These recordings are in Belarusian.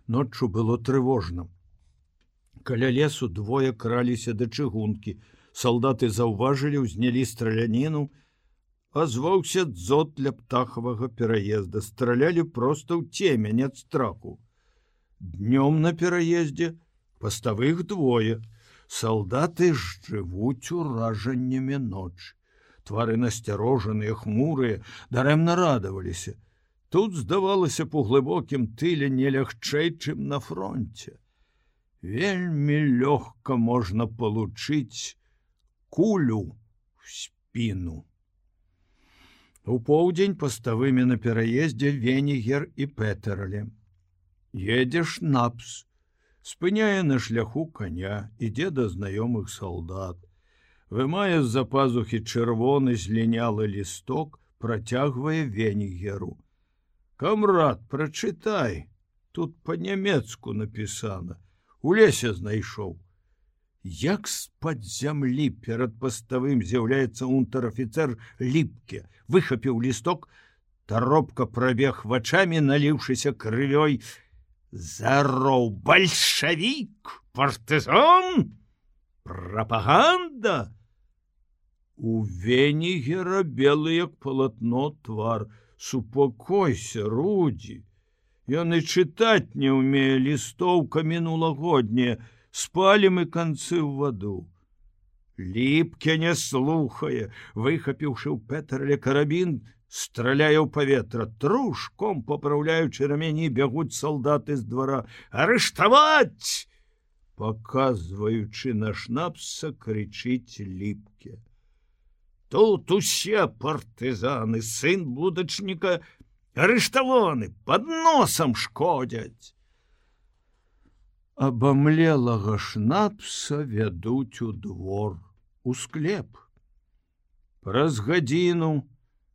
Ноччу было трывожна. Каля лесу двое краліся да чыгункі. Салдаты заўважылі, узнялі страляніну. Азваўся дзот для птахавага пераезда. Стралялі проста ў цемень ад страху. Днём на пераездзе паставых двое. Салдаты жывуць уражаннямі ночы. Твары насцярожаныя, хмурыя, дарэмна радаваліся. Тут здавалася па глыбокім тыле не лягчэй, чым на фронте. Вельмі лёгка можна получыць кулю в спину. У поўдзень паставымі на пераездзе Венігер і Петерлі. Едзе Шнапс, спыняе на шляху коня, ідзе да знаёмых салдат. Вымае з-за пазухі чырвоны злінялы лісток, працягвае Венігеру. Камрад, прачытай, тут па-нямецку напісана. У лесе знайшоў. Як з-пад зямлі перад паставым з'яўляецца унтэр-афіцэр Ліпке, выхапіў лісток, таропка прабег вачамі, наліўшыся крывёй. Зароў, бальшавік, партызан, прапаганда. У Венігера белы як палатно твар. Супакойся, Рудзі. Ён і чытаць не ўмее, лістоўка мінулагодняя, спалім і канцы ў ваду. Ліпке не слухае, выхапіўшы ў Петерле карабін, страляе ў паветра. Трушком папраўляючы рамяні, бягуць салдаты з двара. Арыштаваць! Паказваючы на Шнапса, крычыць Ліпке. Тут усе партызаны, сын будачніка, арыштаваны, пад носам шкодзяць. Абамлелага Шнапса вядуць у двор, у склеп. Праз гадзіну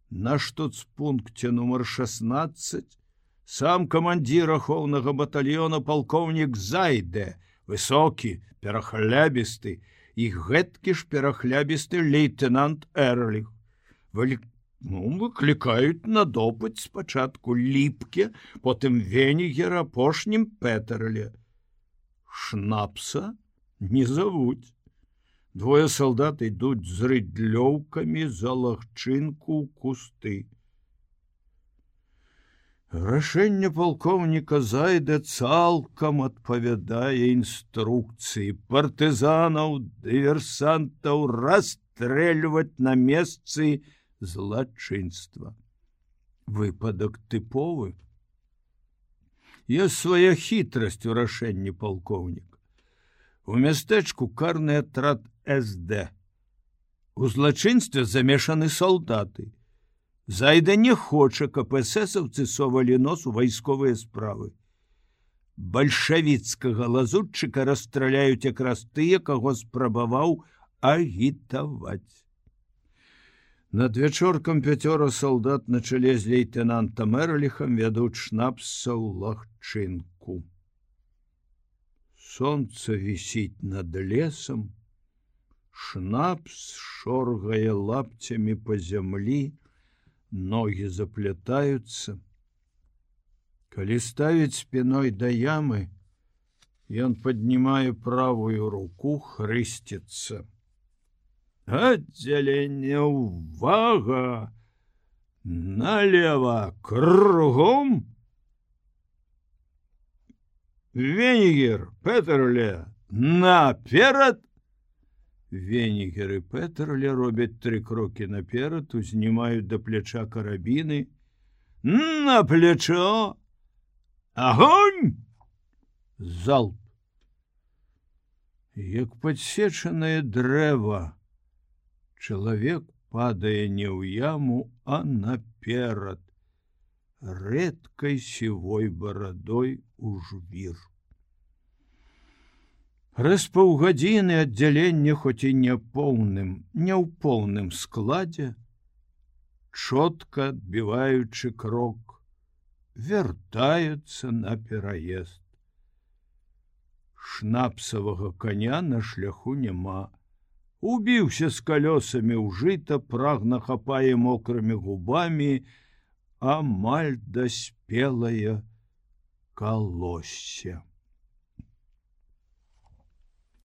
на штуцпункце нумар 16 сам камандзір ахоўнага батальёна палкоўнік Зайде, высокі, перахлябісты, і гэткі ж перахлябісты лейтенант Эрліх. Выклікаюць на допыт спачатку Ліпке, потым Венігера, апошнім Петерле. Шнапса не завуць. Двое салдат ідуць з рыдлёўкамі за лагчынку ў кусты. Рашэнне палкоўніка Зайда цалкам адпавядае інструкцыі партызанаў, дыверсантаў расстрэльваць на месцы злачынства. Выпадак тыповы. Ёсць свая хітрасць у рашэнні палкоўніка. У мястэчку карны атрад СД. У злачынстве замешаны салдаты. Зайда не хоча, каб эсэсаўцы совалі нос у вайсковыя справы. Бальшавіцкага лазутчыка расстраляюць якраз тыя, каго спрабаваў агітаваць. Над вячоркам 5 салдат на чале з лейтенантам Эрліхам вядуць Шнапса ў лагчынку. Сонца вісіць над лесам, Шнапс шоргае лапцямі па зямлі, ногі заплятаюцца. Калі ставіць спіной да ямы, ён паднімае правую руку, хрысціцца. Аддзяленне, увага! Налево, кругом! Венігер, Петерле, наперад! Венігер і Петерле робяць 3 крокі наперад, узнімаюць да пляча карабіны. На плечо! Агонь! Залп! Як падсечанае дрэва, чалавек падае не ў яму, а наперад, рэдкай сівой барадой у жвір. Праз паўгадзіны аддзялення, хоць і не ў поўным складзе, чотка адбіваючы крок, вяртаюцца на пераезд. Шнапсавага коня на шляху няма. Убіўся з калёсамі ў жыта, прагна хапае мокрымі губамі амаль даспелая калоссе.